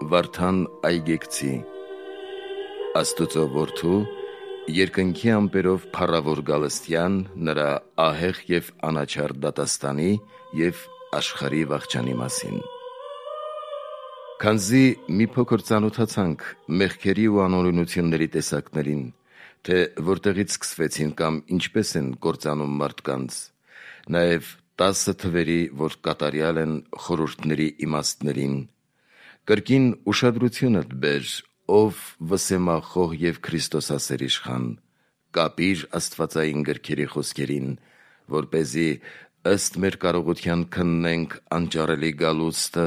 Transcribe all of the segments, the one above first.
Վարդան Այգեկցի Աստուծո որդու երկնքի ամպերով փառավոր գալստյան նրա ահեղ և անաչառ դատաստանի և աշխարհի վախճանի մասին։ Քանզի մի փոքր ծանոթացանք մեղքերի ու անօրենությունների տեսակներին, թե որտեղից սկսվեցին կամ ինչպես են կործանում մարդկանց, նաև 10 թվերի, որ կատարյալ են խորհուրդների իմաստներին, կրկին ուշադրությունդ բեր, ով վսեմախոհ և Քրիստոսասեր իշխան, կապիր աստվածային գրքերի խոսքերին, որպեսզի ըստ մեր կարողության քննենք անճարելի գալուստը,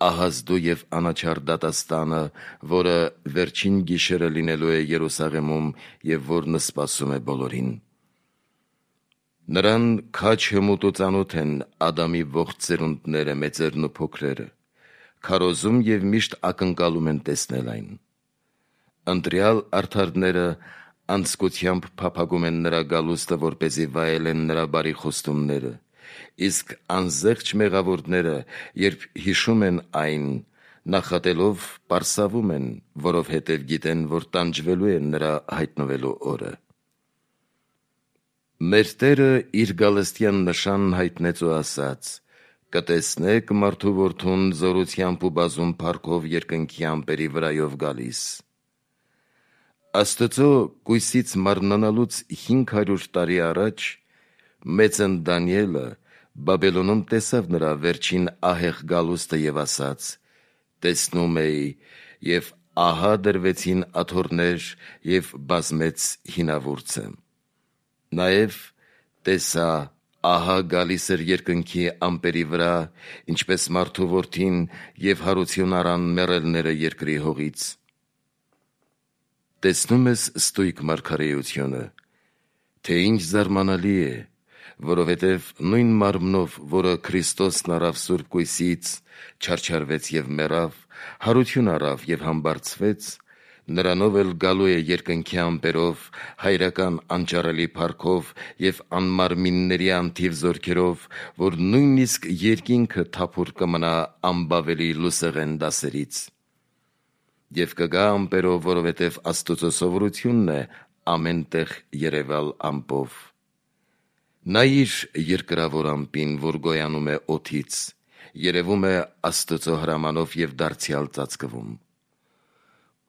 ահազդու և անաչառ դատաստանը, որը վերջին գիշերը լինելու է Երուսաղեմում և որն սպասում է բոլորին։ Նրան քաջ հմուտ ու ծանոթ են Ադամի ողջ ծերունդները, մեծերն ու փոքրերը, քարոզում և միշտ ակնկալում են տեսնել այն։ Ընտրյալ արդարները անձկությամբ փափագում են նրա գալուստը, որպեսզի վայելեն նրա բարի խոստումները, իսկ անզեղչ մեղավորները, երբ հիշում են այն, նախատելով պարսավում են, որովհետև գիտեն, որ տանջվելու է նրա հայտնվելու օրը։ Մեր Տերը իր գալստյան նշանն հայտնեց ու ասաց. «Կտեսնեք մարդու որդուն զորությամբ ու բազում փառքով երկնքի ամպերի վրայով գալիս»։ Աստծո կույսից մարմնանալուց 500 տարի առաջ մեծն Դանիելը Բաբելոնում տեսավ նրա վերջին ահեղ գալուստը և ասաց. «Տեսնում էի, և ահա դրվեցին աթոռներ և բազմեց հինավուրցը»։ Նաև տեսա, ահա գալիս էր երկնքի ամպերի վրա, ինչպես մարդու որդին, և հարություն առան մեռելները երկրի հողից։ Տեսնում ես ստույգ մարգարեությունը, թե ինչ զարմանալի է, որովհետև նույն մարմնով, որը Քրիստոսն առավ Սուրբ Կույսից, չարչարվեց և մեռավ, հարություն առավ և համբարձվեց, նրանով էլ գալու է երկնքի ամպերով, հայրական անճարելի փառքով և անմարմինների անթիվ զորքերով, որ նույնիսկ երկինքը թափուր կմնա անբավելի լուսեղեն դասերից։ Եվ կգա ամպերով, որովհետև Աստուծո սովորությունն է ամեն տեղ երևալ ամպով։ Նայիր երկրավոր ամպին, որ գոյանում է օդից, երևում է Աստծո հրամանով և դարձյալ ծածկվում։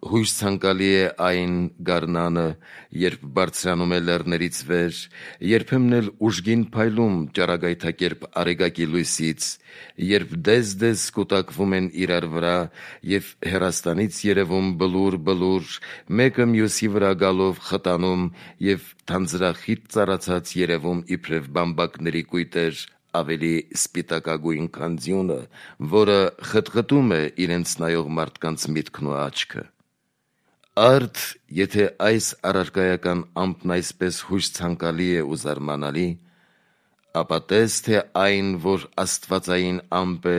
Հույժ ցանկալի է այն գարնանը, երբ բարձրանում է լեռներից վեր, երբեմն էլ ուժգին փայլում ճառագայթակերպ արեգակի լույսից, երբ դեզ-դեզ կուտակվում են իրար վրա և հեռաստանից երևում բլուր, մեկը մյուսի վրա գալով խտանում և թանձրախիտ ծառացած երևում իբրև բամբակների կույտեր, ավելի սպիտակագույն, քան ձյունը, որը խտխտում է իրենց նայող մարդկանց միտքն ու աչքը։ Արդ եթե այս առարկայական ամպն այսպես հույժ ցանկալի է ու զարմանալի, ապա տես, թե այն, որ աստվածային ամպ է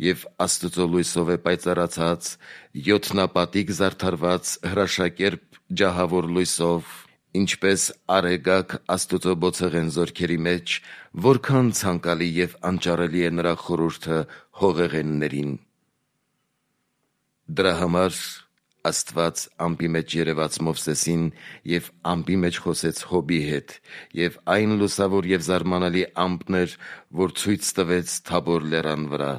և Աստծո լույսով է պայծառացած, յոթնապատիկ զարդարված հրաշակերպ ջահավոր լույսով, ինչպես արեգակ Աստծո բոցեղեն զորքերի մեջ, որքան ցանկալի և անճարելի է նրա խորհուրդը հողեղեններին։ Դրա համար Աստված ամպի մեջ երևաց Մովսեսին և ամպի մեջ խոսեց Հոբի հետ, և այն լուսավոր և զարմանալի ամպն էր, որ ցույց տվեց Թաբոր լեռան վրա։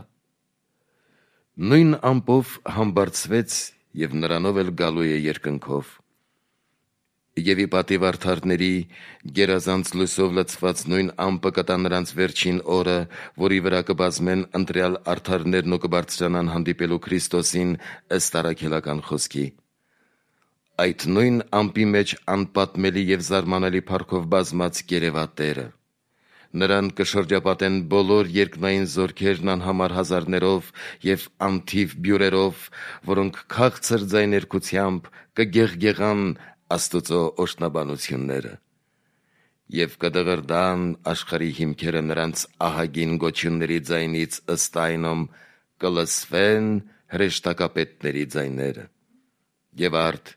Նույն ամպով համբարձվեց և նրանով էլ գալու է երկնքով։ Եվ ի պատիվ արդարների գերազանց լույսով լցված նույն ամպը կտա նրանց վերջին օրը, որի վրա կբազմեն ընտրյալ արդարներն ու կբարձրանան հանդիպելու Քրիստոսին ըստ առաքելական խոսքի։ Այդ նույն ամպի մեջ անպատմելի և զարմանալի փառքով բազմած կերևա Տերը։ Նրան կշրջապատեն բոլոր երկնային զորքերն անհամար հազարներով և անթիվ բյուրերով, որոնք քաղցր ձայներգությամբ կգեղգեղան Աստծո օրհնաբանությունները։ Եվ կդղրդան աշխարհի հիմքերը նրանց ահագին գոչյունների ձայնից ըստ այնմ, կլսվեն հրեշտակապետների ձայները։ Եվ արդ,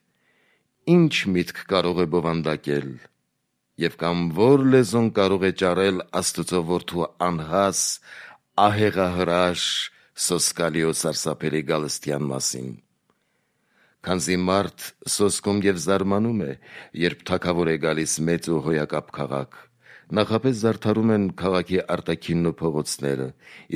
ի՞նչ միտք կարող է բովանդակել, և կամ ո՞ր լեզուն կարող է ճառել Աստծո որդու անհաս, ահեղահրաշ, սոսկալիո սարսափելի գալստյան մասին։ Քանզի մարդ սոսկում եւ զարմանում է, երբ թագավոր է գալիս մեծ ու հոյակապ քաղաք, նախապես զարդարում են քաղաքի արտաքինն ու փողոցները,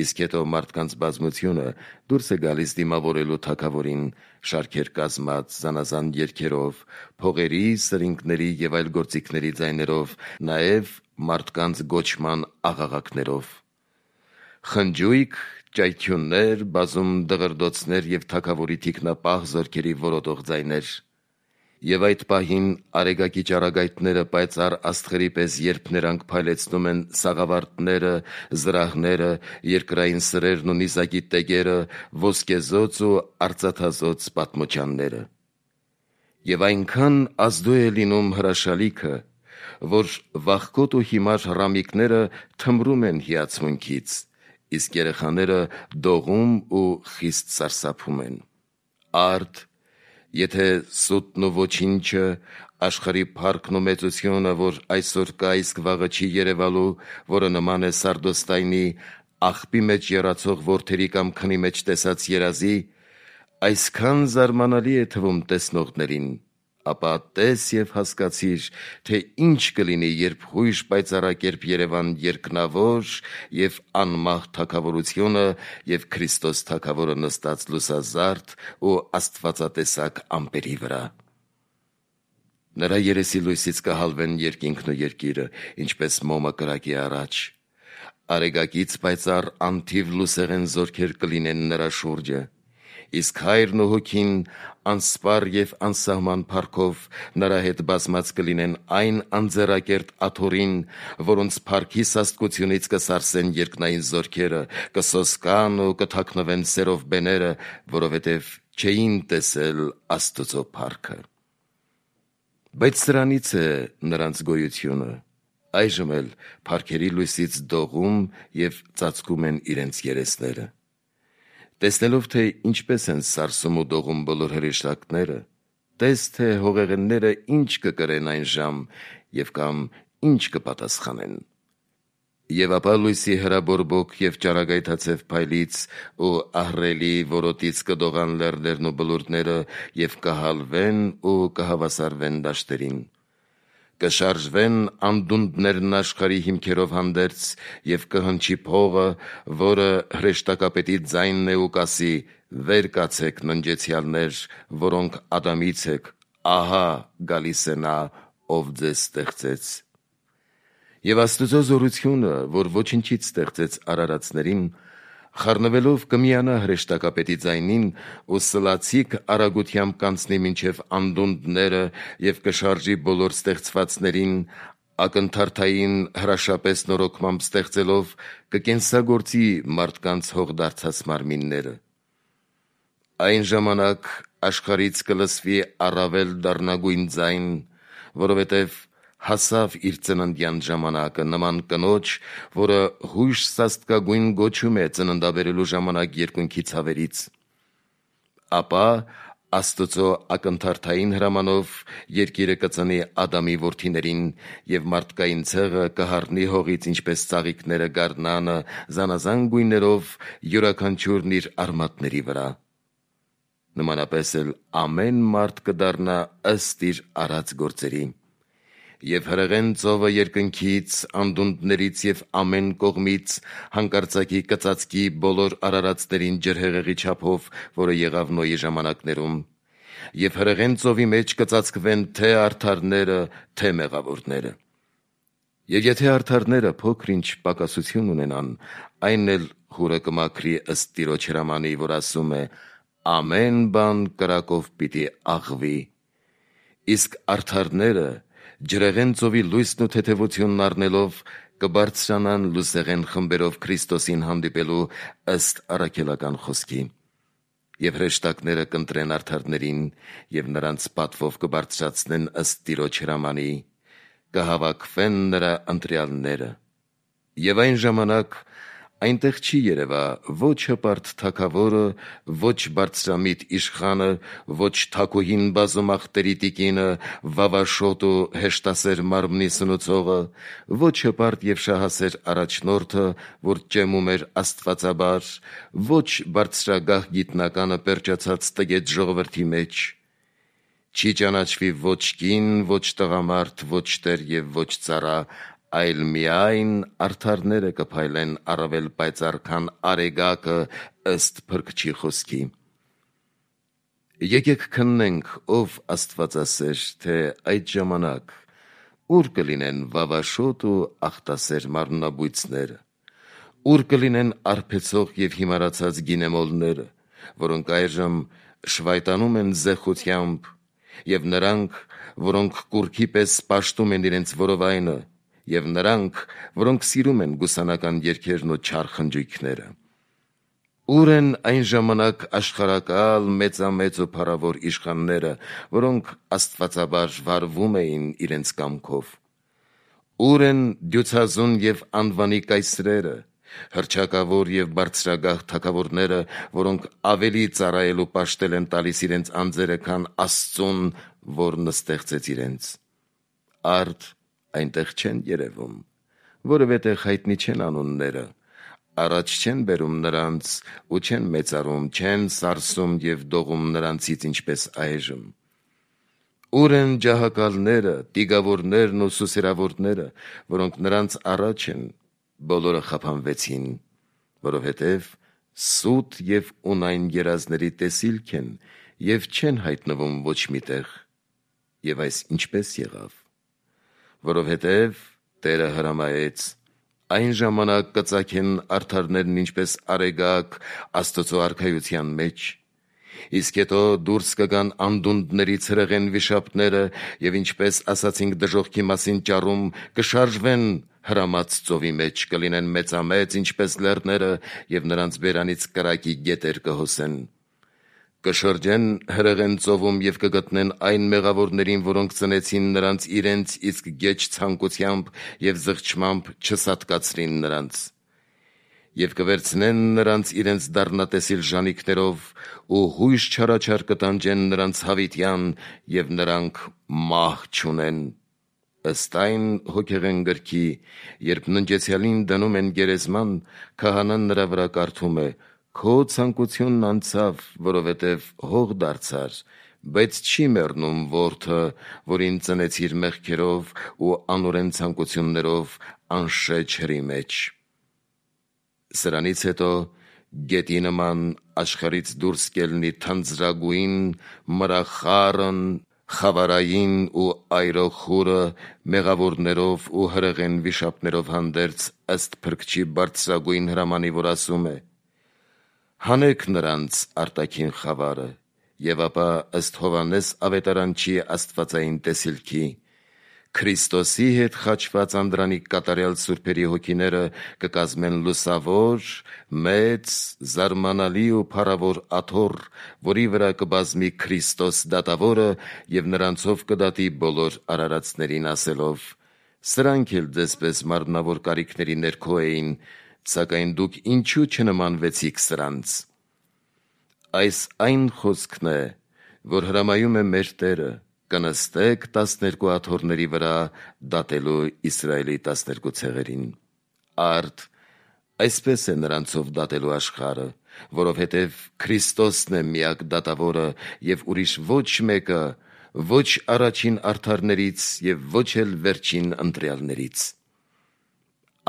իսկ հետո մարդկանց բազմությունը դուրս է գալիս դիմավորելու թագավորին, շարքեր կազմած, զանազան երգերով, փողերի, սրինգների եւ այլ գործիքների ձայներով, նաեւ մարդկանց գոչման աղաղակներով։ Խնջույք, ճայթյուններ, բազում դղրդոցներ եւ թագավորի թիկնապահ զորքերի որոտող ձայներ։ Եվ այդ պահին արեգակի ճառագայթները պայծառ աստղերի պես երբ նրանք փայլեցնում են սաղավարտները, զրահները, երկրային սրերն ու նիզակի տեգերը, ոսկեզոծ ու արծաթազոծ պատմոճանները։ Եվ այնքան ազդու է լինում հրաշալիքը, որ վախկոտ ու հիմար հռամիկները թմրում են հիացմունքից, իսկ երեխաները դողում ու խիստ սարսափում են։ Արդ, եթե սուտն ու ոչինչը, աշխարհի փառքն ու մեծությունը, որ այսօր կա, իսկ վաղը չի երևալու, որը նման է սարդոստայնի, աղբի մեջ եռացող որդերի կամ քնի մեջ տեսած երազի, այսքան զարմանալի է թվում տեսնողներին, ապա տես եւ հասկացիր, թե ինչ կլինի, երբ հույժ պայծառակերպ Երևան երկնավոր եւ անմահ թագավորությունը եւ Քրիստոս թագավորը նստած լուսազարդ ու աստվածատեսակ ամպերի վրա։ Նրա երեսի լույսից կհալվեն երկինքն ու երկիրը, ինչպես մոմը կրակի առաջ։ Արեգակից պայծառ անթիվ լուսեղեն զորքեր կլինեն նրա շուրջը, իսկ Հայրն ու Հոգին անսպառ եւ անսահման փառքով նրա հետ բազմած կլինեն այն անձեռակերտ աթոռին, որոնց փառքի սաստկությունից կսարսեն երկնային զորքերը, կսոսկան ու կթաքնվեն սերով բեները, որովհետեւ չէին տեսել Աստծո փառքը։ Բայց սրանից է նրանց գոյությունը, այժմ էլ փառքերի լույսից դողում եւ ծածկում են իրենց երեսները։ Տեսնելով, թե ինչպես են սարսում ու դողում բոլոր հրեշտակները, տես, թե հողեղենները ինչ կկրեն այն ժամ եւ կամ ինչ կպատասխանեն։ Եվ ապա լույսի հրաբորբոք եւ ճառագայթացև փայլից ու ահռելի որոտից կդողան լեռներն ու բլուրները եւ կհալվեն ու կհավասարվեն դաշտերին։ Կշարժվեն անդունդներն աշխարհի հիմքերով հանդերձ եւ կհնչի փողը, որը հրեշտակապետի ձայնն է ու կասի. «Վեր կացեք, ննջեցյալներ, որոնք Ադամից եք, ահա գալիս է նա, ով ձեզ ստեղծեց»։ Եվ Աստծո զորությունը, որ ոչնչից ստեղծեց արարածներին, խառնվելով կմիանա հրեշտակապետի ձայնին ու սլացիկ արագությամբ կանցնի մինչև անդունդները եւ կշարժի բոլոր ստեղծվածներին, ակնթարթային հրաշապես նորոգմամբ ստեղծելով, կկենսագործի մարդկանց հողդարձած մարմինները։ Այն ժամանակ աշխարհից կլսվի առավել դառնագույն ձայն, որովհետև հասավ իր ծննդյան ժամանակը նման կնոջ, որը հույժ սաստկագույն գոչում է ծննդաբերելու ժամանակ երկնքի ցավերից։ Ապա Աստծո ակնթարթային հրամանով երկիրը կծնի Ադամի որդիներին, եւ մարդկային ցեղը կհառնի հողից, ինչպես ծաղիկները գարնանը, զանազան գույներով, յուրաքանչյուրն իր արմատների վրա։ Նմանապես էլ ամեն մարդ կդառնա ըստ իր արած գործերի։ Եվ հրեղեն ծովը երկնքից, անդունդներից եւ ամեն կողմից հանկարծակի կծածկի բոլոր արարածներին ջրհեղեղի չափով, որը եղավ Նոյի ժամանակներում, եւ հրեղեն ծովի մեջ կծածկվեն թե արդարները, թե մեղավորները։ Եվ եթե արդարները փոքր-ինչ պակասություն ունենան, այն էլ հուրը կմաքրի ըստ Տիրոջ հրամանի, որ ասում է. «Ամեն բան կրակով պիտի աղվի»։ Իսկ արդարները ջրեղեն ծովի լույսն ու թեթևությունն առնելով կբարձրանան լուսեղեն խմբերով Քրիստոսին հանդիպելու ըստ առաքելական խոսքի։ Եվ հրեշտակները կընտրեն արդարներին եւ նրանց պատվով կբարձրացնեն ըստ Տիրոջ հրամանի, կհավաքվեն նրա ընտրյալները։ Եվ այն ժամանակ Այնտեղ չի երևա ոչ հպարտ թագավորը, ոչ բարձրամիտ իշխանը, ոչ թագուհին բազումախտերի տիկինը, վավաշոտ ու հեշտասեր մարմնի սնուցողը, ոչ հպարտ և շահասեր առաջնորդը, որ ճեմում էր աստվածաբար, ոչ բարձրագահ գիտնականը պերճացած տգետ ժողովրդի մեջ։ Չի ճանաչվի ոչ կին, ոչ տղամարդ, ոչ տեր և ոչ ծառա, այլ միայն արդարները կփայլեն առավել պայծառ, քան արեգակը ըստ Փրկչի խոսքի։ Եկեք քննենք, ով Աստվածասեր, թե այդ ժամանակ ուր կլինեն վավաշոտ ու ախտասեր մարմնաբույծները, ուր կլինեն արբեցող և հիմարացած գինեմոլները, որոնք այժմ շվայտանում են զեխությամբ, և նրանք, որոնք կուռքի պես պաշտում են իրենց որովայնը, և նրանք, որոնք սիրում են գուսանական երգերն ու չար խնջույքները։ Ուր են այն ժամանակ աշխարհակալ, մեծամեծ ու փառավոր իշխանները, որոնք աստվածաբար վարվում էին իրենց կամքով։ Ուր են դյուցազուն և անվանի կայսրերը, հռչակավոր և բարձրագահ թագավորները, որոնք ավելի ծառայել ու պաշտել են տալիս իրենց անձերը, քան Աստծուն, որն ստեղծեց իրենց։ Արդ այնտեղ չեն երևում, որովհետև հայտնի չեն անունները, առաջ չեն բերում նրանց ու չեն մեծարում, չեն սարսում և դողում նրանցից, ինչպես այժմ։ Ուր են ջահակալները, տիգավորներն ու սուսերավորները, որոնք նրանց առաջ են, բոլորը խափանվեցին, որովհետև սուտ և ունայն երազների տեսիլք են և չեն հայտնվում ոչ միտեղ։ Եվ այս ինչպես եղավ։ Որովհետև Տերը հրամայեց. այն ժամանակ կծագեն արդարներն ինչպես արեգակ Աստծու արքայության մեջ, իսկ հետո դուրս կգան անդունդների ցրեղեն վիշապները, և ինչպես ասացինք դժոխքի մասին ճառում, կշարժվեն հրամած ծովի մեջ, կլինեն մեծամեծ, ինչպես լեռները, և նրանց բերանից կրակի գետեր կհոսեն։ Կշրջեն հրեղեն ծովում և կգտնեն այն մեղավորներին, որոնք ծնեցին նրանց իրենց իսկ գեչ ցանկությամբ և զղջմամբ չսատկացրին նրանց։ Եվ կվերցնեն նրանց իրենց դառնատեսիլ ժանիքներով ու հույժ չարաչար կտանջեն նրանց հավիտյան, և նրանք մահ չունեն։ Ըստ այն հոգեղեն գրքի, երբ ննջեցյալին դնում են գերեզման, քահանան նրա վրա կարդում է. «Քո ցանկությունն անցավ, որովհետև հող դարձար, բայց չի մեռնում որդը, որին ծնեցիր մեղքերով ու անօրեն ցանկություններով անշեջ հրի մեջ»։ Սրանից հետո գետի նման աշխարհից դուրս կելնի թանձրագույն, մրախառն, խավարային ու այրոխուրը մեղավորներով ու հրեղեն վիշապներով հանդերձ, ըստ Փրկչի բարձրագույն հրամանի, որ ասում է. «Հանեք նրանց արտաքին խավարը», և ապա ըստ Հովհաննես ավետարանչի աստվածային տեսիլքի, Քրիստոսի հետ խաչված անդրանիկ կատարյալ սուրբերի հոգիները կկազմեն լուսավոր, մեծ, զարմանալի ու փառավոր աթոռ, որի վրա կբազմի Քրիստոս դատավորը և նրանցով կդատի բոլոր արարածներին, ասելով. «Սրանք էլ ձեզպես մարմնավոր կարիքների ներքո էին, սակայն դուք ինչու չնմանվեցիք սրանց»։ Այս այն խոսքն է, որ հրամայում է մեր Տերը. կնստեք 12 աթոռների վրա դատելու Իսրայելի 12 ցեղերին։ Արդ այսպես է նրանցով դատելու աշխարհը, որովհետև Քրիստոսն է միակ դատավորը, և ուրիշ ոչ մեկը, ոչ առաջին արդարներից և ոչ էլ վերջին ընտրյալներից։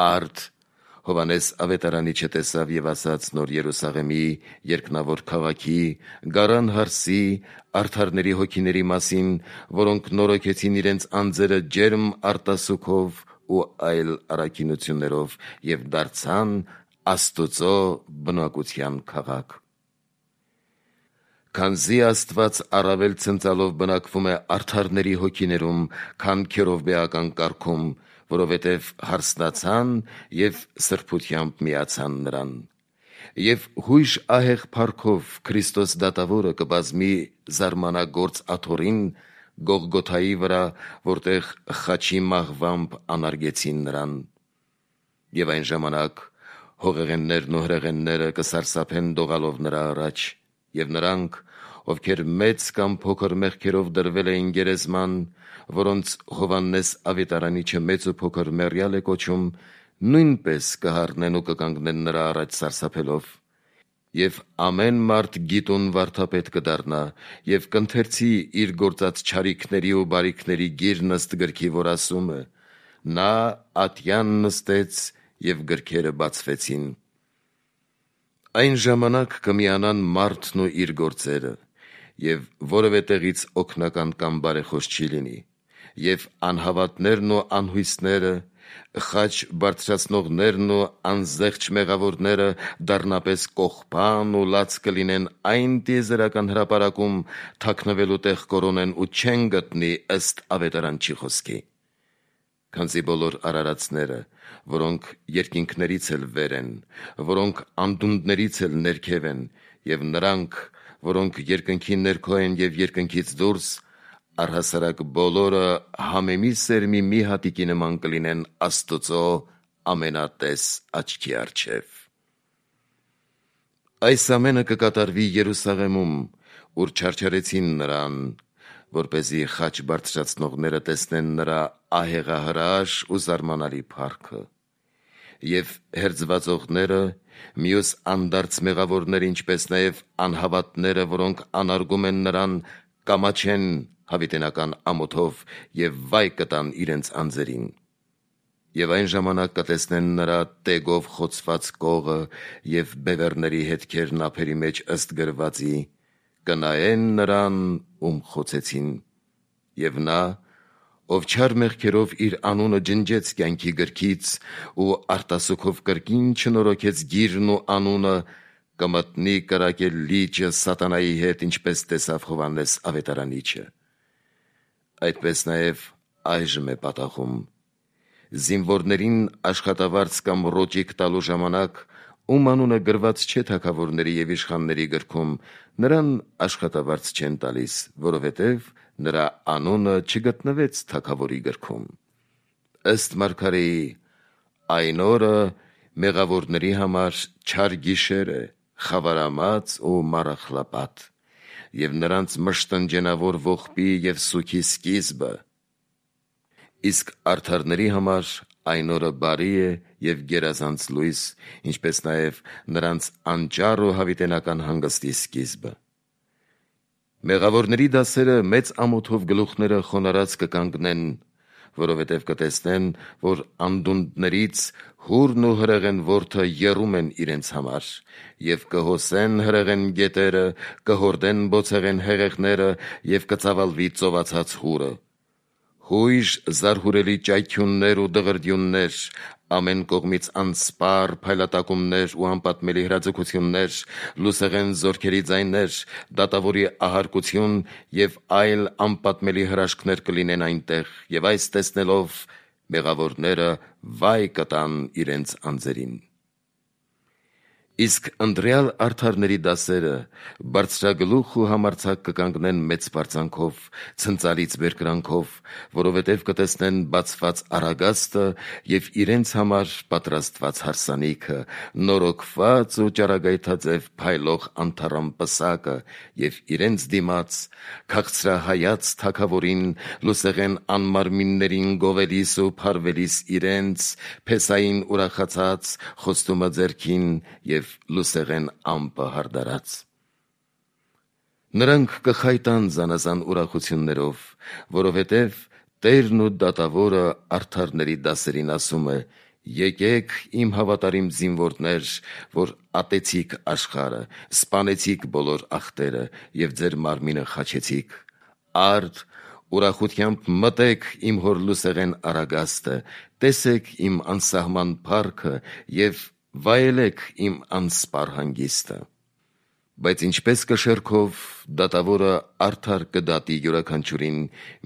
Արդ Հովհաննես ավետարանիչը տեսավ և ասաց Նոր Երուսաղեմի, երկնավոր քաղաքի, գարան հարսի, արդարների հոգիների մասին, որոնք նորոգեցին իրենց անձերը ջերմ արտասուքով ու այլ առաքինություններով և դարձան Աստուծո բնակության քաղաք։ Քանզի Աստված առավել ցնծալով բնակվում է արդարների հոգիներում, քան քերովբեական կարգում, որովհետև հարսնացան և սրբությամբ միացան նրան։ Եվ հույժ ահեղ փառքով Քրիստոս դատավորը կբազմի զարմանագործ աթոռին Գողգոթայի վրա, որտեղ խաչի մահվամբ անարգեցին նրան։ Եվ այն ժամանակ հողեղեններն ու հրեղենները կսարսափեն դողալով նրա առաջ, եւ նրանք, ովքեր մեծ կամ փոքր մեղքերով դրվել էին գերեզման, որոնց Հովհաննես Ավետարանիչը մեծ ու փոքր մեռյալ է կոչում, նույնպես կհառնեն ու կկանգնեն նրա առաջ սարսափելով։ Եվ ամեն մարդ գիտուն վարդապետ կդառնա եւ կընթերցի իր գործած չարիքների ու բարիքների գիրն ըստ գրքի, որ ասում է. նա ատյան նստեց եւ գրքերը բացվեցին։ Այն ժամանակ կմիանան մարդն ու իր գործերը, եւ որևէ տեղից օգնական կամ բարեխոս չի լինի, եւ անհավատներն ու անհույսները, խաչ բարձրացնողներն ու անզեղչ մեղավորները դառնապես կողբան ու լաց կլինեն այն տիեզերական հրապարակում, թաքնվելու տեղ կորոնեն ու չեն գտնի ըստ ավետարանչի խոսքի։ Քանզի բոլոր արարածները, որոնք երկինքներից էլ վեր են, որոնք անդունդներից էլ ներքև են, եւ նրանք, որոնք երկնքի ներքո են եւ երկնքից դուրս, առհասարակ բոլորը համեմի սերմի մի հատիկի նման կլինեն Աստծո ամենատես աչքի առջև։ Այս ամենը կկատարվի Երուսաղեմում, ուր չարչարեցին նրան, որպեսզի խաչ բարձրացնողները տեսնեն նրա ահեղահրաշ ու զարմանալի փառքը, եւ հերձվածողները, մյուս անդարձ մեղավորները, ինչպես նաեւ անհավատները, որոնք անարգում են նրան, կամաչեն հավիտենական ամոթով եւ վայ կտան իրենց անձերին։ Եվ այն ժամանակ կտեսնեն նրա տեգով խոցված կողը եւ բևեռների հետքերն ափերի մեջ ըստ գրվածի, կնայեն նրան, ում խոցեցին, եւ նա, ով չար մեղքերով իր անունը ջնջեց կյանքի գրքից ու արտասուքով կրկին չնորոգեց գիրն ու անունը, կմտնի կրակել լիճը սատանայի հետ, ինչպես տեսավ Հովհաննես Ավետարանիչը։ Այդպես նաև այժմ է պատահում։ Զինվորներին աշխատավարձ կամ ռոճիկ տալու ժամանակ, ում անունը գրված չէ թագավորների եւ իշխանների գրքում, նրան աշխատավարձ չեն տալիս, որովհետև նրա անունը չգտնվեց թագավորի գրքում։ Ըստ մարգարեի, այն օրը մեղավորների համար չար գիշեր է, խավարամած ու մառախլապատ, եւ նրանց մշտնջենավոր ողբի եւ սուքի սկիզբը։ Իսկ արդարների համար այն օրը բարի է եւ գերազանց լույս, ինչպես նաեւ նրանց անճառ ու հավիտենական հանգստի սկիզբը։ Մեղավորների դասերը մեծ ամոթով գլուխները խոնարհած կկանգնեն, որովհետև կտեսնեն, որ անդունդներից հուրն ու հրեղեն որդը եռում են իրենց համար, եւ կհոսեն հրեղեն գետերը, կհորդեն բոցեղեն հեղեղները եւ կծավալվի ծովածած հուրը։ Հույժ զարհուրելի ճայթյուններ ու դղրդյուններ, ամեն կողմից անսպար փայլատակումներ ու անպատմելի հրաձգություններ, լուսեղեն զորքերի ձայներ, դատավորի ահարկություն եւ այլ անպատմելի հրաշքներ կլինեն այնտեղ, եւ այս տեսնելով մեղավորները վայ կտան իրենց անձերին։ Իսկ ընտրյալ արդարների դասերը բարձրագլուխ ու համարձակ կկանգնեն մեծ բարձանքով, ցնծալից բերկրանքով, որովհետև կտեսնեն բացված առագաստը եւ իրենց համար պատրաստված հարսանիքը, նորոգված ու ճառագայթաձև փայլող անթառամ պսակը եւ իրենց դիմաց քաղցրահայաց թագավորին, լուսեղեն անմարմիններին գովելիս ու փարվելիս իրենց, փեսային ուրախացած, խոստումը ձեռքին եւ լուսեղեն ամպը հարդարած։ Նրանք կխայտան զանազան ուրախություններով, որովհետև Տերն ու դատավորը արդարների դասերին ասում է. «Եկեք իմ հավատարիմ զինվորներ, որ ատեցիք աշխարհը, սպանեցիք բոլոր ախտերը եւ ձեր մարմինը խաչեցիք։ Արդ ուրախությամբ մտեք իմ հոր լուսեղեն առագաստը, տեսեք իմ անսահման փառքը եւ վայելեք իմ անսպար հանգիստը»։ Բայց ինչպես կշեռքով դատավորը արդար կդատի յուրաքանչյուրին,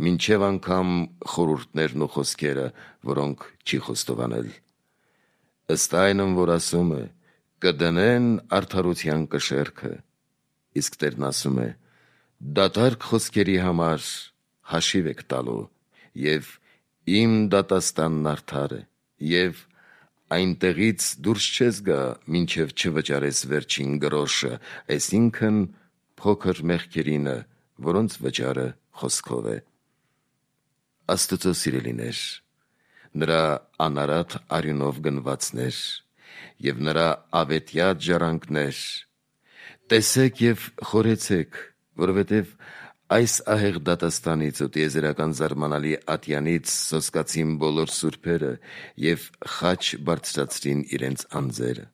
մինչև անգամ խորհուրդներն ու խոսքերը, որոնք չի խոստովանել։ Ըստ այնմ, որ ասում է, կդնեն արդարության կշեռքը, իսկ Տերն ասում է. դատարկ խոսքերի համար հաշիվ եք տալու, եւ իմ դատաստանն արդար է, եւ այնտեղից դուրս չես գա, մինչև չվճարես վերջին գրոշը, այսինքն փոքր մեղքերինը, որոնց վճարը խոսքով է։ Աստծո սիրելիներ, նրա անարատ արյունով գնվածներ և նրա ավետյաց ժառանգներ, տեսեք և խորեցեք, որովհետև այս ահեղ դատաստանից ու տիեզերական զարմանալի ատյանից սոսկացին բոլոր սուրբերը և խաչ բարձրացրին իրենց անձերը։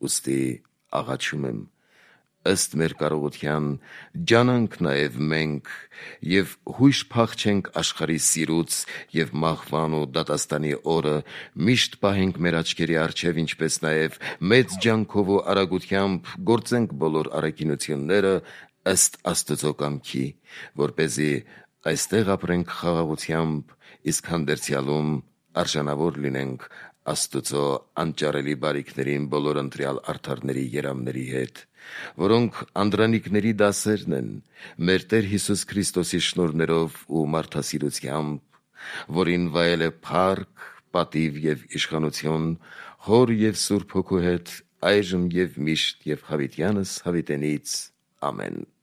Ուստի աղաչում եմ, ըստ մեր կարողության, ջանանք նաև մենք և հույժ փախչենք աշխարհի սիրուց և մահվան ու դատաստանի օրը միշտ պահենք մեր աչքերի առջև, ինչպես նաև մեծ ջանքով ու արագությամբ գործենք բոլոր առաքինությունները ըստ Աստծո կամքի, որպեսզի այստեղ ապրենք խաղաղությամբ, իսկ հանդերձյալում արժանավոր լինենք Աստծո անճարելի բարիքներին բոլոր ընտրյալ արդարների երամների հետ, որոնք անդրանիկների դասերն են մեր Տեր Հիսուս Քրիստոսի շնորհներով ու մարդասիրությամբ, որին վայել է փառք, պատիվ և իշխանություն Հոր և Սուրբ Հոգու հետ այժմ և միշտ և հավիտյանս հավիտենից։ Ամեն։